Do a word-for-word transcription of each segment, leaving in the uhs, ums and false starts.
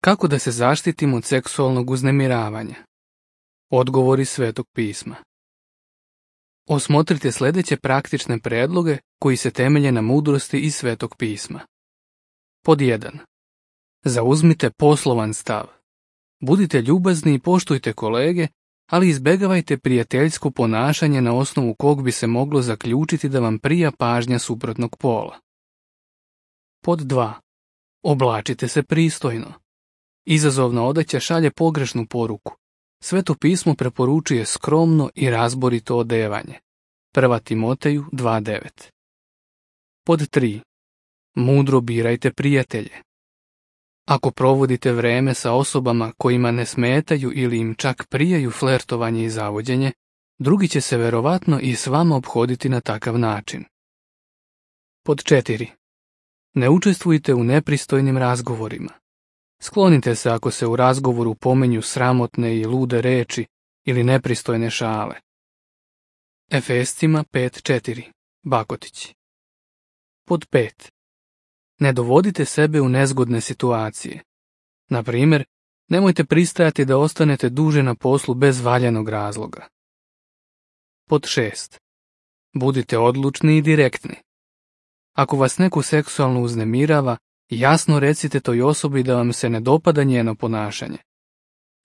Kako da se zaštitimo od seksualnog uznemiravanja? Odgovori Svetog pisma. Osmotrite sljedeće praktične predloge koji se temelje na mudrosti iz Svetog pisma. Pod jedan. Zauzmite poslovan stav. Budite ljubazni i poštujte kolege, ali izbjegavajte prijateljsko ponašanje na osnovu kog bi se moglo zaključiti da vam prija pažnja suprotnog pola. Pod dva. Oblačite se pristojno. Izazovna odeća šalje pogrešnu poruku. Sveto pismo preporučuje skromno i razborito odevanje. Prva Timoteju dva devet. Pod tri. Mudro birajte prijatelje. Ako provodite vreme sa osobama kojima ne smetaju ili im čak prijaju flertovanje i zavođenje, drugi će se verovatno i s vama ophoditi na takav način. Pod četiri. Ne učestvujte u nepristojnim razgovorima. Sklonite se ako se u razgovoru pomenju sramotne i lude reči ili nepristojne šale. Efescima pet četiri. Bakotić. Pod pet. Ne dovodite sebe u nezgodne situacije. Na primjer, nemojte pristajati da ostanete duže na poslu bez valjanog razloga. Pod šest. Budite odlučni i direktni. Ako vas neko seksualno uznemirava, jasno recite toj osobi da vam se ne dopada njeno ponašanje.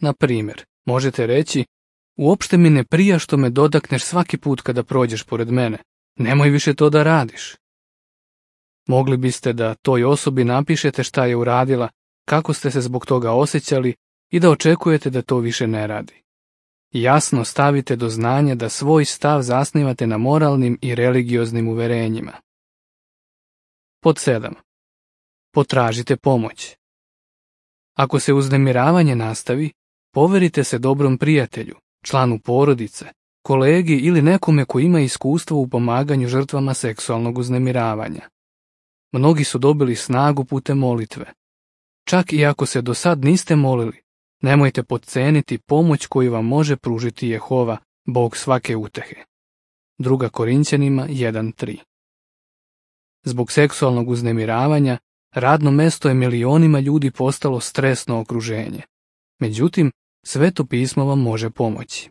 Na primjer, možete reći: uopšte mi ne prija što me dodakneš svaki put kada prođeš pored mene. Nemoj više to da radiš. Mogli biste da toj osobi napišete šta je uradila, kako ste se zbog toga osjećali i da očekujete da to više ne radi. Jasno stavite do znanja da svoj stav zasnivate na moralnim i religioznim uverenjima. Pod sedam. Potražite pomoć. Ako se uznemiravanje nastavi, poverite se dobrom prijatelju, članu porodice, kolegi ili nekome ko ima iskustvo u pomaganju žrtvama seksualnog uznemiravanja. Mnogi su dobili snagu putem molitve. Čak i ako se do sad niste molili, nemojte podceniti pomoć koju vam može pružiti Jehova, Bog svake utehe. Druga Korinćanima jedan tri. Zbog seksualnog uznemiravanja, radno mesto je milionima ljudi postalo stresno okruženje. Međutim, Sveto pismo vam može pomoći.